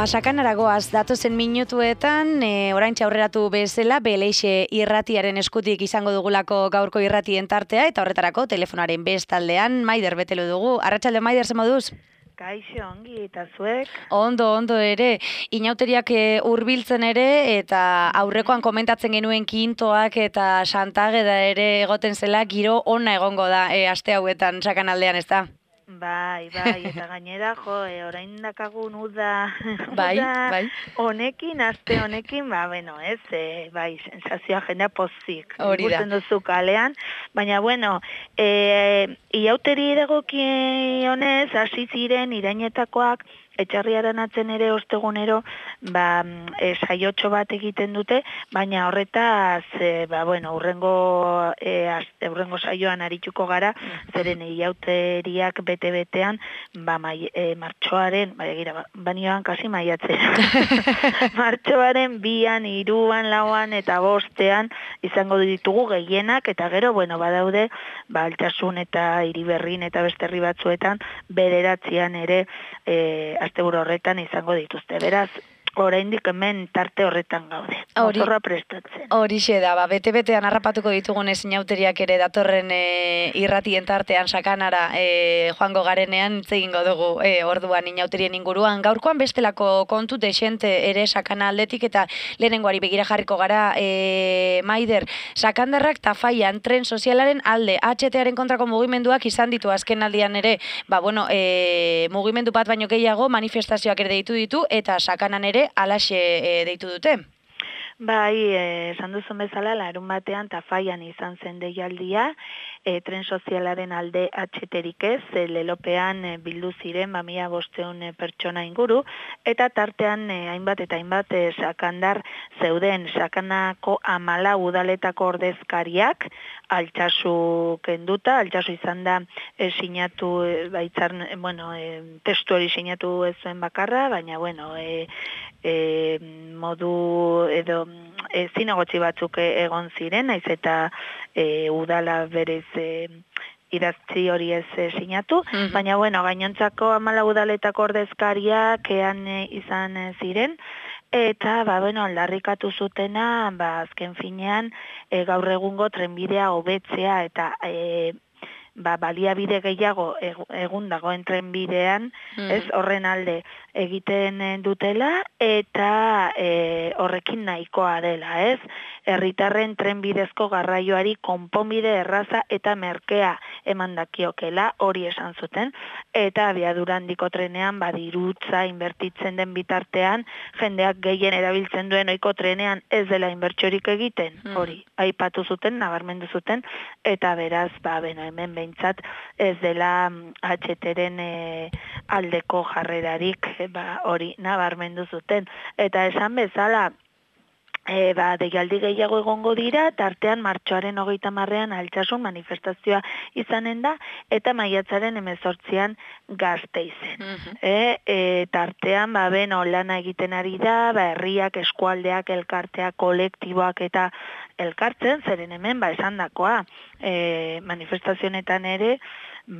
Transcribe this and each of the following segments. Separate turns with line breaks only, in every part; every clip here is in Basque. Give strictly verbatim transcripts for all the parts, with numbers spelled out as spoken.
Ba, sakanaragoaz datozen minutuetan, e, oraintxe aurreratu bezala, Beleixe irratiaren eskutik izango dugulako gaurko irratien tartea, eta horretarako telefonaren bestaldean Maider betelu dugu. Arratsalde Maider, ze moduz?
Kaixo, ongi, eta zuek?
Ondo, ondo ere. Inauteriak hurbiltzen ere, eta aurrekoan komentatzen genuen kintoak eta Santageda ere egoten zela, giro ona egongo da e, aste hauetan sakanaldean, ez da?
Bai, bai, eta gainera, jo, e, orain dakagun uda,
bai,
uda
bai.
honekin, aste honekin, ba, bueno, ez, e, bai, sensazioa jendea pozik.
Hori da.
Ikusten duzu kalean, baina, bueno, e, iauteri dagokionez, hasi ziren irainetakoak, etxarriaren atzen ere ostegunero, ba, e, saiotxo bat egiten dute, baina horretaz, e, ba, bueno, urrengo, e, az, urrengo saioan arituko gara, zeren iauteriak bete-betean, ba, mai, e, martxoaren, ba, egira, ba, banioan kasi maiatzera, martxoaren bian, iruan, lauan eta bostean izango ditugu gehienak, eta gero, bueno, badaude, ba, Altsasun eta Iriberrin eta beste herri batzuetan, bederatzian ere, e, asteburu horretan izango dituzte. Beraz, oraindik hemen tarte horretan gaude. Motorra prestatzen.
Horixe da, ba, bete-betean harrapatuko ditugunez inauteriak ere datorren e, irratien tartean sakanara e, joango garenean hitz egingo dugu e, orduan inauterien inguruan. Gaurkoan bestelako kontu desente ere sakana aldetik eta lehenengoari begira jarriko gara e, Maider, sakandarrak Tafaian tren sozialaren alde H T-aren kontrako mugimenduak izan ditu azken aldian ere, ba, bueno, e, mugimendu bat baino gehiago manifestazioak ere deitu ditu eta sakanan ere alaxe e, deitu dute.
Bai, esan duzun bezala, larun batean Tafaian izan zen deialdia, e, tren sozialaren alde atxeterik ez, e, lelopean e, bildu ziren, ba, mila bosteun e, pertsona inguru, eta tartean e, hainbat eta hainbat e, sakandar zeuden, sakanako amala udaletako ordezkariak, Altsasu kenduta, Altsasu izan da e, sinatu, e, baitzar, bueno, e, testu hori sinatu ez zuen bakarra, baina, bueno, e, e, modu edo e, zinegotzi batzuk egon ziren, naiz eta e, udala berez e, idatzi hori ez e, sinatu, mm-hmm. baina bueno, gainontzako amala udaletako ordezkariak ean e, izan e, ziren, eta ba, bueno, aldarrikatu zutena, ba, azken finean e, gaur egungo trenbidea hobetzea eta e, ba, baliabide gehiago egun dagoen trenbidean, mm. ez, horren alde egiten dutela, eta e, horrekin nahikoa dela, ez? Herritarren trenbidezko garraioari konponbide erraza eta merkea eman dakiokela, hori esan zuten, eta abiadura handiko trenean badirutza inbertitzen den bitartean, jendeak gehien erabiltzen duen ohiko trenean ez dela inbertsiorik egiten, mm. hori, aipatu zuten, nabarmendu zuten, eta beraz, ba, beno, hemen behintzat ez dela H T-ren e, aldeko jarrerarik, e, ba, hori nabarmendu zuten, eta esan bezala, E, ba, deialdi gehiago egongo dira, tartean martxoaren hogeita marrean Altsasun manifestazioa izanen da, eta maiatzaren hemezortzian Gasteizen. Mm-hmm. e, e, tartean, ba, beno, lana egiten ari da, ba, herriak, eskualdeak, elkarteak, kolektiboak eta elkartzen, zeren hemen, ba, esan dakoa, e, manifestazionetan ere,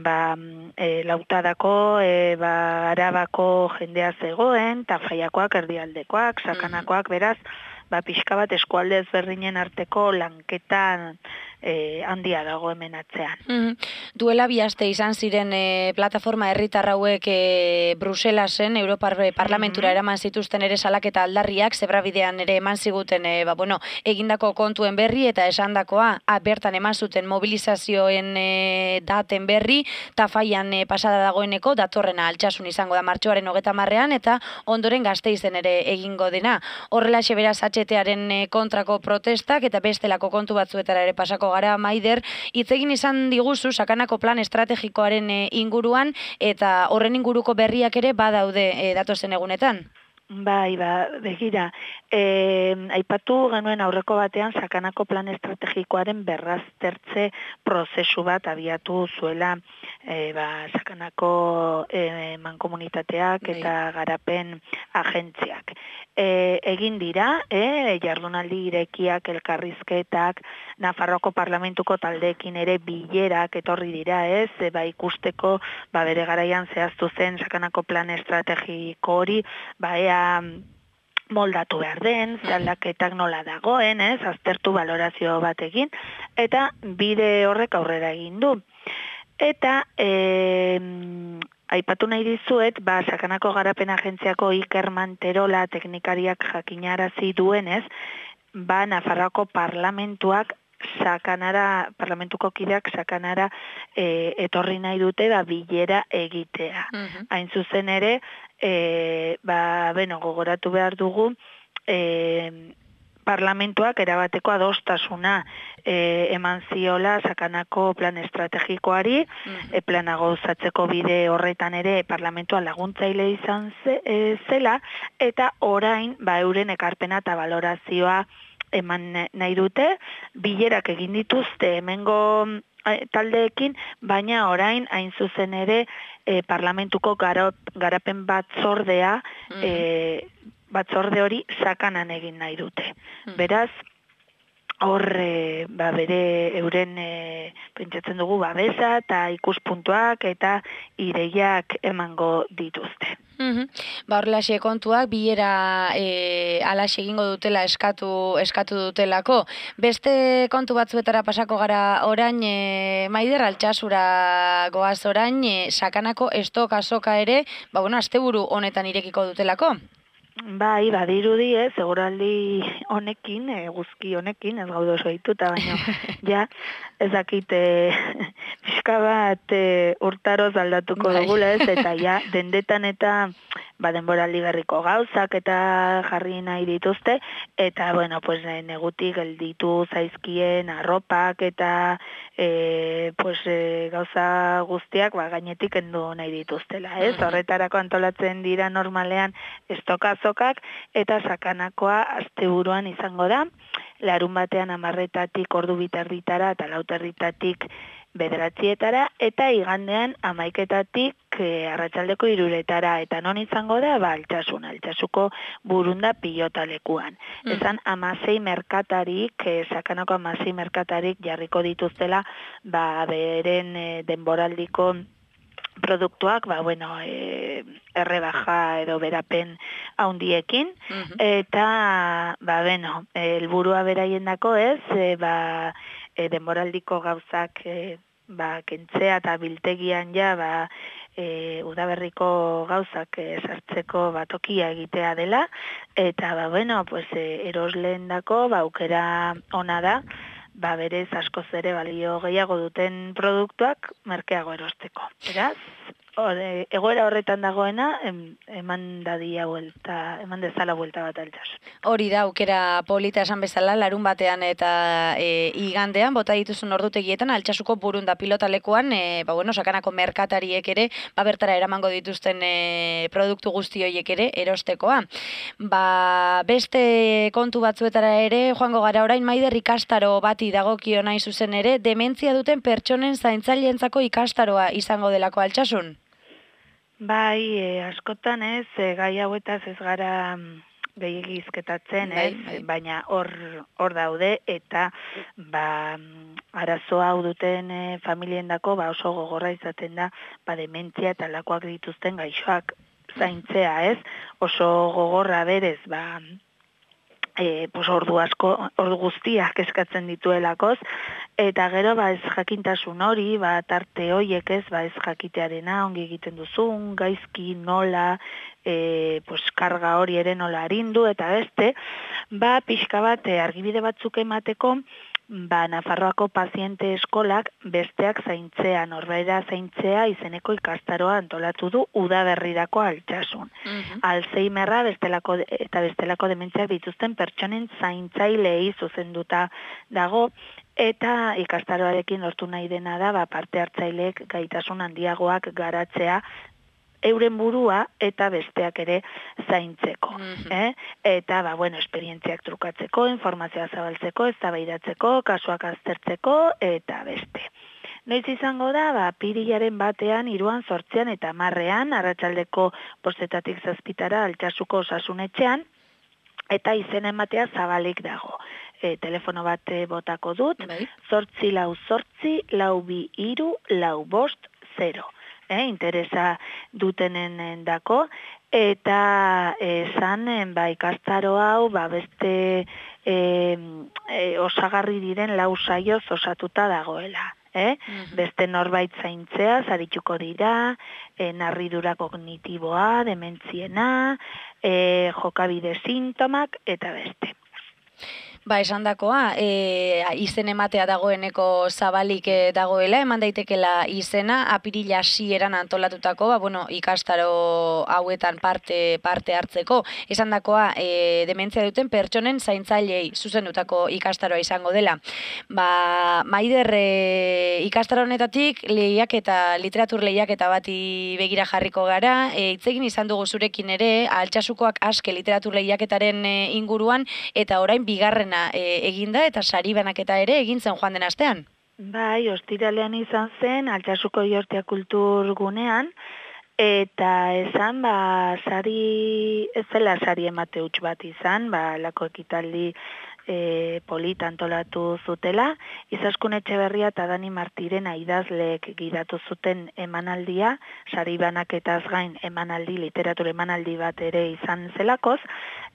ba, e, lautadako, e, ba, arabako jendea zegoen, Tafaiakoak, erdialdekoak, sakanakoak, beraz, ba, pixka bat eskualde ezberdinen arteko lanketan e, handia dago hemen atzean.
Mm-hmm. Duela bi aste izan ziren e, plataforma herritar hauek e, Bruselasen, Europar Parlamentura mm-hmm. eraman zituzten ere salaketa aldarriak, zebrabidean ere eman ziguten e, ba, bueno, egindako kontuen berri eta esandakoa a, bertan eman zuten mobilizazioen e, daten berri, Tafaian e, pasada dagoeneko, datorrena Altsasun izango da martxoaren hogeta marrean, eta ondoren Gasteizen ere egingo dena. Horrelaxe beraz H T-aren kontrako protestak eta bestelako kontu batzuetara ere pasako gara, Maider, hitz egin izan diguzu sakanako plan estrategikoaren inguruan eta horren inguruko berriak ere badaude e, datozen egunetan.
Bai, ba, begira, e, aipatu genuen aurreko batean sakanako plan estrategikoaren berraztertze prozesu bat abiatu zuela e, ba, sakanako e, mankomunitateak eta garapen agentziak. E, egin dira, e, jardunaldi irekiak, elkarrizketak, Nafarroako parlamentuko taldeekin ere bilerak etorri dira, ez, e, ba, ikusteko, ba, bere garaian zehaztu zen sakanako plan estrategiko hori, ba, ea nola moldatu behar den, zaldaketak nola dagoen, ez, aztertu valorazio bat egin, eta bide horrek aurrera egin du. Eta, e, aipatu nahi dizuet, ba, Sakanako Garapen Agentziako Iker Manterola teknikariak jakinarazi duenez, ba, Nafarroako parlamentuak Sakanara, parlamentuko kideak Sakanara e, etorri nahi dute ba, bilera egitea. Uh-huh. Hain zuzen ere, e, ba, beno, gogoratu behar dugu, e, parlamentuak erabateko adostasuna e, eman ziola Sakanako plan estrategikoari, uh-huh. e, plana gauzatzeko bide horretan ere parlamentua laguntzaile izan ze, e, zela, eta orain ba, euren ekarpena eta valorazioa eman nahi dute, bilerak egin dituzte hemengo taldeekin, baina orain hain zuzen ere e, parlamentuko garot, garapen batzordea, mm. e, batzorde hori Sakanan egin nahi dute. Mm. Beraz, hor e, ba, bere euren e, pentsatzen dugu babesa eta ikuspuntuak eta ideiak emango dituzte.
Mm-hmm. Ba, horrelaxe kontuak, bilera e, alaxe egingo dutela eskatu eskatu dutelako. Beste kontu batzuetara pasako gara orain, e, Maider, Altsasura goaz orain, e, Sakanako estok azoka ere, ba, bueno, asteburu honetan irekiko dutelako.
Bai, badirudi ez, seguraldi honekin, e, guzki honekin, ez gaude oso dituta, baina, ja, ezakite pixka bat e, urtaroz aldatuko bai. Dugula ez, eta ja, dendetan eta ba, denboraldi berriko gauzak eta jarri nahi dituzte, eta, bueno, pues, negutik gelditu zaizkien arropak eta e, pues, e, gauza guztiak ba, gainetik endu nahi dituztela, ez? Horretarako antolatzen dira normalean estokazokak eta Sakanakoa asteburuan izango da, larun batean amarretatik ordu biterditara eta lauterditatik bederatzietara, eta igandean amaiketatik e, arratsaldeko iruretara, eta non izango da, ba, Altsasun, Altsasuko burunda pilotalekuan. Mm. Esan amasei merkatarik, e, Sakanako amasei merkatarik jarriko dituztela, ba, beren e, denboraldiko produktuak, ba, bueno, e, errebaja edo berapen haundiekin, mm-hmm. eta, ba, bueno, helburua beraien dako ez, e, ba, e, denboraldiko gauzak e, ba, kentzea eta biltegian ja, ba, e, udaberriko gauzak e, sartzeko batokia egitea dela, eta, ba, bueno, pues, e, erosleen dako, ba, aukera ona da, ba, berez askoz ere balio gehiago duten produktuak merkeago erosteko. Beraz, ore, egoera horretan dagoena, em, eman dadia vuelta, eman dezala vuelta bat Altsasun.
Hori da, aukera polita esan bezala, larun batean eta e, igandean, bota dituzun ordutegietan, Altsasuko burunda pilotalekuan, e, ba, bueno, Sakanako merkatariek ere, ba, bertara eramango dituzten e, produktu guzti horiek ere erostekoa. Ba, beste kontu batzuetara ere, joango gara orain, Maider, ikastaro bati dagokio nahi zuzen ere, dementzia duten pertsonen zaintzaileentzako ikastaroa izango delako Altsasun?
Bai, e, askotan ez, e, gai hauetaz ez gara gehiegi izketatzen, ez, bai, bai. Baina hor hor daude, eta ba, arazo hau duten e, familiendako ba, oso gogorra izaten da, ba, dementzia eta lakoak dituzten gaixoak zaintzea, ez, oso gogorra berez, ba, E, pues ordu asko, ordu guztiak eskatzen dituelakoz, eta gero ba ez jakintasun hori, ba tarte hoiek ez, ba ez jakitearena ongi egiten duzun, gaizki nola, e, pues karga hori ere nola arindu, eta beste, ba pixka bat e, argibide batzuk emateko, ba Nafarroako paziente eskolak besteak zaintzea, norbaera zaintzea izeneko ikastaroa antolatu du udaberrirako Altsasun. Uh-huh. Alzheimerra bestelako eta bestelako dementziak dituzten pertsonen zaintzailei zuzenduta dago, eta ikastaroarekin lortu nahi dena da, ba, parte hartzaileek gaitasun handiagoak garatzea euren burua eta besteak ere zaintzeko. Mm-hmm. eh? Eta, ba, bueno, esperientziak trukatzeko, informazioa zabaltzeko, eztabaidatzeko, kasuak aztertzeko, eta beste. Noiz izango da, ba, pirilaren batean, hiruan, zortzian eta marrean, arratsaldeko bostetatik zazpitara Altsasuko osasunetxean, eta izen ematea zabalik dago. E, telefono bat botako dut, bai. Zortzi lau zortzi, lau bi iru, lau bost, zero. Eh, interesa dutenen dako, eta esan ba, ikastaro hau ba, beste e, e, osagarri diren lau saioz osatuta dagoela. Eh? Mm-hmm. Beste norbait zaintzea, zarituko dira, e, narridura kognitiboa, dementziena, e, jokabide sintomak, eta beste.
Ba, esan dakoa, e, izen ematea dagoeneko zabalik e, dagoela, eman daitekela izena, apirila hasieran antolatutako, ba, bueno, ikastaro hauetan parte parte hartzeko. Esan dakoa, e, dementzia duten pertsonen zaintzailei zuzendutako ikastaroa izango dela. Ba, Maider, e, ikastaro honetatik lehiak eta literatur lehiak eta bati begira jarriko gara, e, itzegin izan dugu zurekin ere, Altsasukoak aske literatur lehiaketaren e, inguruan, eta orain bigarren E, eginda eta sari banaketa ere egin zen joan den astean.
Bai, ostiralean izan zen Altsasuko Iortia Kulturgunean eta esan ba sari ez zela sari emate huts bat izan, ba lako ekitaldi e, polita antolatu zutela, Izaskun Etxeberria eta Dani Martirena idazleek gidatu zuten emanaldia, sari banaketaz gain emanaldi, literatur emanaldi bat ere izan zelakoz,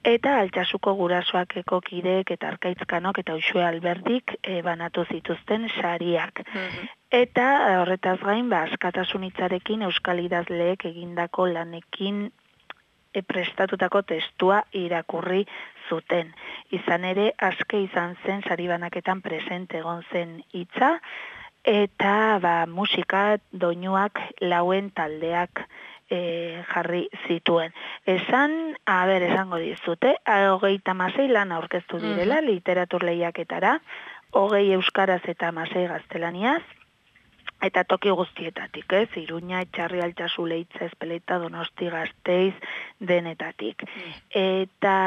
eta Altsasuko gurasoakeko kideek eta Arkaitzkanok eta Uxue Alberdik e, banatu zituzten sariak. Mm-hmm. Eta horretaz gain, ba, askatasun hitzarekin euskal idazleek egindako lanekin e, prestatutako testua irakurri zuten. Izan ere, aske izan zen sari banaketan presente egon zen hitza, eta ba, musika doinuak lauen taldeak E, jarri zituen. Esan, a ber, esango dizute, hogeita hamasei lan aurkeztu direla, uh-huh. literatur lehiaketara, hogei euskaraz eta hamasei gaztelaniaz, eta toki guztietatik, ez? Iruña, Etxarri, Altsasu, Leitza, Ezpeleta, Donosti, Gasteiz, denetatik. Uh-huh. Eta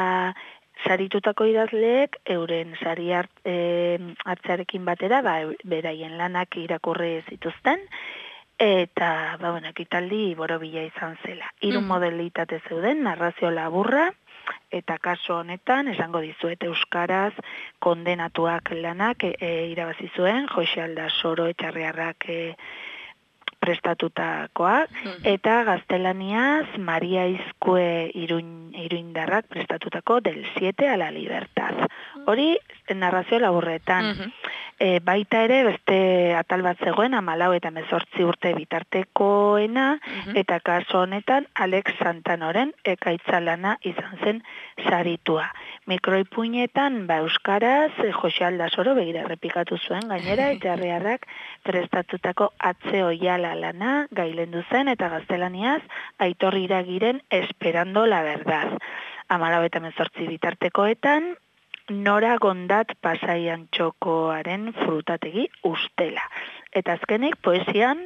saritutako idazleek, euren sari hart, e, hartzearekin batera, ba, beraien lanak irakurri zituzten, eta, ba, bueno, ekitaldi borobila izan zela. Hiru mm. modalitate zeuden, narrazio laburra, eta kaso honetan, esango dizuet euskaraz, kondenatuak lanak e, irabazi zuen, Jose Aldasoro Etxarriarrak e, prestatutakoak, mm. eta gaztelaniaz, Maria Izkue iruin, iruindarrak prestatutako del siete a la libertad. Hori, narrazio laburretan. Mm-hmm. E, baita ere, beste atal bat zegoen, hamalau eta hemezortzi urte bitartekoena, uh-huh. eta kaso honetan, Alex Santanoren ekaitzalana izan zen saritua. Mikroipuinetan, ba, euskaraz, Jose Aldasoro begira errepikatu zuen, gainera, Etxarriarrak prestatutako atze oiala lana gailendu zen, eta gaztelaniaz, Aitor Iragiren Esperando la verdad. Hamalau eta hemezortzi bitartekoetan, Nora Gondat Pasaian Txokoaren frutategi ustela. Eta azkenik poesian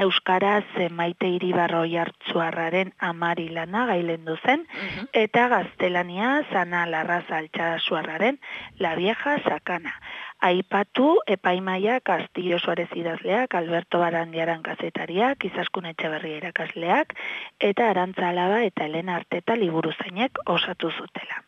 euskaraz Maite Iribarro Jartzuarraren amari lana gailendu zen, uh-huh. eta gaztelania Ana Larraza Altsasuarraren La vieja sakana. Aipatu epaimaia Castillo Suarez idazleak, Alberto Barandiaran kazetariak, Izaskun Etxeberria irakasleak, eta Arantza Alaba eta Elena Arteta liburuzainek osatu zutela.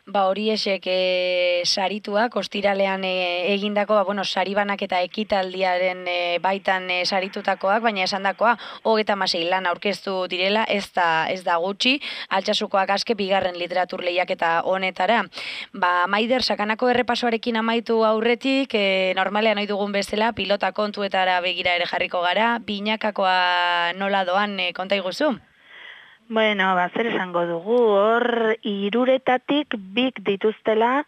Ba, hori esek e, sarituak, ostiralean e, egindako, ba, bueno, saribanak eta ekitaldiaren e, baitan e, saritutakoak, baina esandakoa, hogeita hamasei lan aurkeztu direla, ez da, ez da gutxi, Altsasukoak aske bigarren literatur lehiaketa honetara. Ba, Maider, sakanako errepasoarekin amaitu aurretik, e, normalean ohi dugun bezala, pilota kontuetara begira ere jarriko gara, binakakoa nola doan e, konta iguzu?
Bueno, ba, zer esango dugu, hor hiruretatik bik dituztela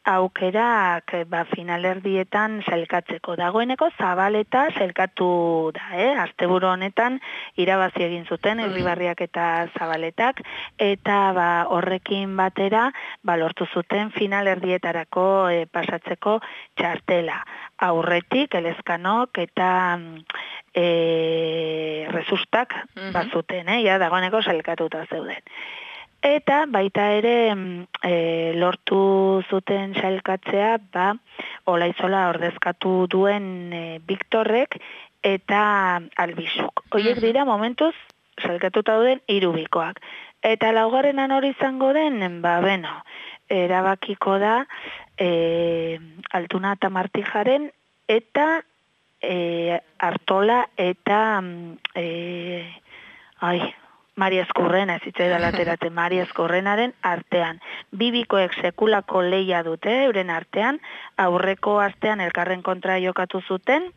aukerak ba, finalerdietan sailkatzeko. Dagoeneko Zabaleta sailkatu da, eh? Asteburu honetan irabazi egin zuten Irribarriak eta Zabaletak, eta ba, horrekin batera ba, lortu zuten finalerdietarako e, pasatzeko txartela. Aurretik, Elezkanok eta e, Resustak uh-huh. bazuten, eh? Ja, dagoeneko sailkatuta zeuden. Eta baita ere e, lortu zuten sailkatzea, ba, Olaizola ordezkatu duen e, Viktorrek eta Albizuk. Horiek dira momentuz sailkatuta duen hiru bikoak. Eta laugarrenan hori izango den, ba, beno, erabakiko da e, Altuna eta Martijaren eta e, Artola eta e, ai, Mari Eskurrena, ez zitzaidan ateratzen, Mari Eskurrenaren artean. Bibikoek sekulako leia dute, euren artean, aurreko astean elkarren kontra jokatu zuten,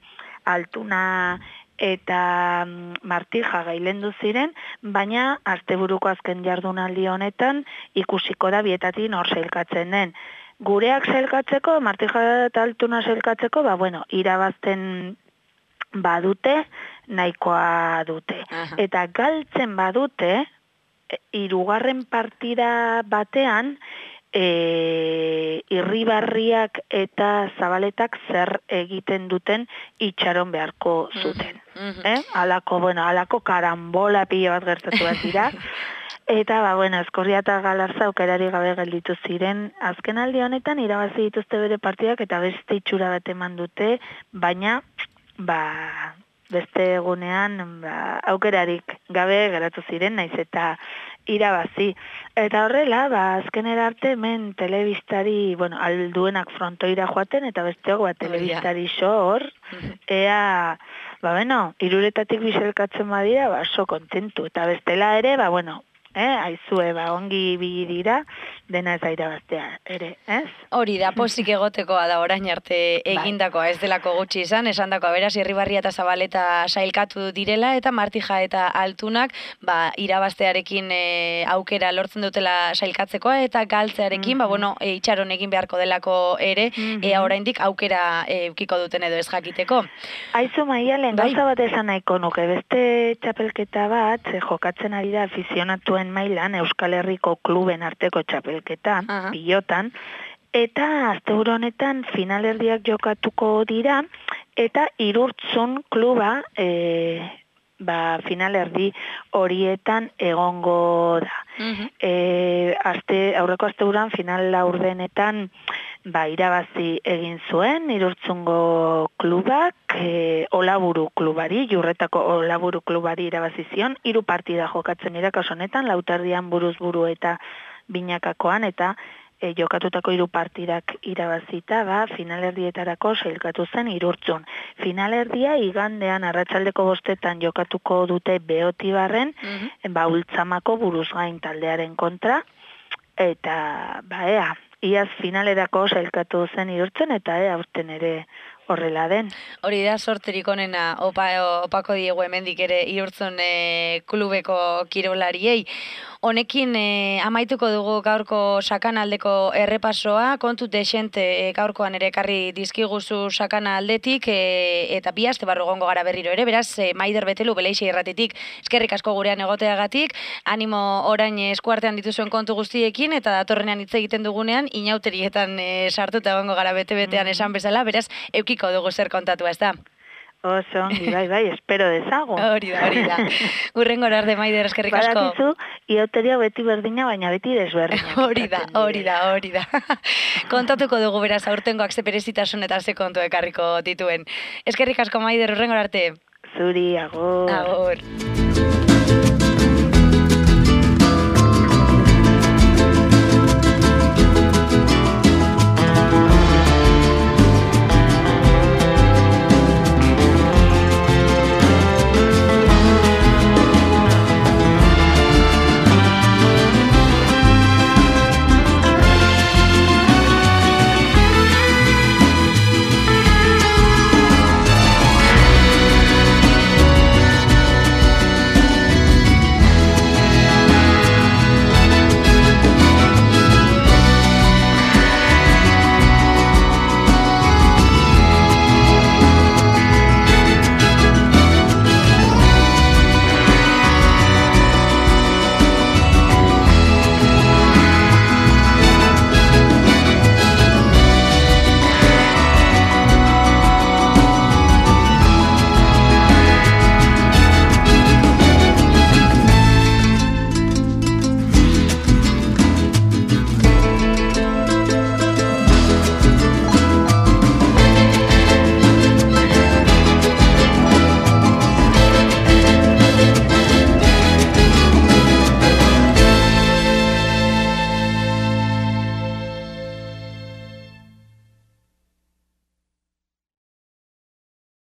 Altuna eta Martija gailendu ziren, baina asteburuko azken jardunaldi honetan ikusiko da bietatik nor sailkatzen den. Gureak sailkatzeko, Martija eta Altuna sailkatzeko, ba bueno, irabazten badute, nahikoa dute.
Aha.
Eta galtzen badute, hirugarren partida batean, E, Irribarriak eta Zabaletak zer egiten duten itxaron beharko zuten.
Mhm.
Eh? Alako, bueno, alako karambola pilo bat gertatu bat dira. Eta, ba, bueno, Eskorria eta Galarza aukerari gabe gelditu ziren. Azken aldi honetan irabazi dituzte bere partidak eta beste itxura bat eman dute, baina, ba, beste egunean ba, aukerarik gabe geratu ziren, naiz eta irabazi. Eta horrela, ba, azkenera arte hemen telebistari, bueno, alduenak frontoira joaten, eta besteok, ba, telebistari xo hor, ea, ba, bueno, iruretatik biselkatzen badira, ba, so kontentu. Eta bestela ere, ba, bueno, eh, aizue, ba, ongi bigi dira, dena ez aira bastea, ere, ez?
Hori da, posik egotekoa da orain arte egindakoa, ez delako gutxi izan, esan dakoa, beraz, Irribarria eta Zabaleta sailkatu direla, eta Martija eta Altunak, ba, irabaztearekin e, aukera lortzen dutela sailkatzekoa, eta galtzearekin, mm-hmm. ba, bueno, e, itxaron egin beharko delako ere, mm-hmm. ea oraindik aukera e, ukiko duten edo ez jakiteko.
Aizu, Maialen, bai. Gauza bat esan nahiko nuke, beste txapelketa bat, jokatzen ari da afizionatuen mailan Euskal Herriko kluben arteko txapelketa, uh-huh. pilotan, eta asteburu honetan finalerdiak jokatuko dira, eta Irurtzun kluba e, ba, finalerdi horietan egongo da. Uh-huh. E, aste, aurreko asteburuan final laurdenetan ba, irabazi egin zuen Irurtzungo klubak, e, Olaburu klubari, Jurretako Olaburu klubari irabazi zion, hiru partida jokatzen dira kasu honetan, lauterdian buruz buru eta binakakoan, eta e, jokatutako hiru partidak irabazita, ba, finalerdietarako sailkatu zen Irurtzun. Finalerdia igandean arratsaldeko bostetan jokatuko dute Beotibarren, mm-hmm. ba, Ultzamako buruzgain taldearen kontra, eta, ba, ea, iaz finalerako sailkatu zen Irurtzen, eta ea, aurten ere horrela den.
Hori da, sorterik onena opa, opako diegu hemendik ere Irurtzun e, klubeko kirolariei. Honekin e, amaituko dugu gaurko sakanaldeko errepasoa, kontu desente e, gaurkoan ere ekarri dizkiguzu sakanaldetik, e, eta bi aste barru egongo gara berriro ere, beraz, e, Maider Betelu Beleixe irratitik eskerrik asko gurean egoteagatik, animo orain eskuartean dituzuen kontu guztiekin, eta datorrenean hitz egiten dugunean, inauterietan e, sartuta egongo gara bete-betean esan bezala, beraz, eukiko dugu zer kontatu, ez da?
Oso, bai, bai, espero dezagun.
Hori da, hori da. Urrengo Maider, Maider, eskerrik asko.
Badakizu, ioteria beti berdina, baina beti desberdina.
Hori da, hori da, hori da. Kontatuko dugu beraz, aurtengoak ze berezitasun eta ze kontu ekarriko dituen. Eskerrik asko, Maider, urrengo arte.
Zuri, agur.
Agur.